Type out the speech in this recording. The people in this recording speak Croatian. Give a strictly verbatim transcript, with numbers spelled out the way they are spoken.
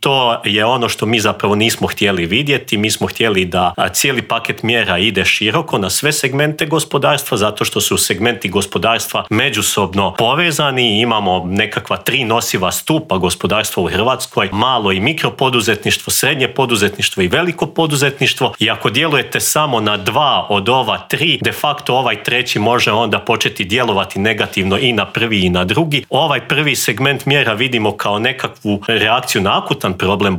to je ono što mi zapravo nismo htjeli vidjeti. Mi smo htjeli da cijeli paket mjera ide široko na sve segmente gospodarstva, zato što su segmenti gospodarstva međusobno povezani. Imamo nekakva tri nosiva stupa gospodarstva u Hrvatskoj, malo i mikropoduzetništvo, srednje poduzetništvo i veliko poduzetništvo. I ako djelujete samo na dva od ova tri, de facto ovaj treći može onda početi djelovati negativno i na prvi i na drugi. Ovaj prvi segment mjera vidimo kao nekakvu reakciju na akutan problem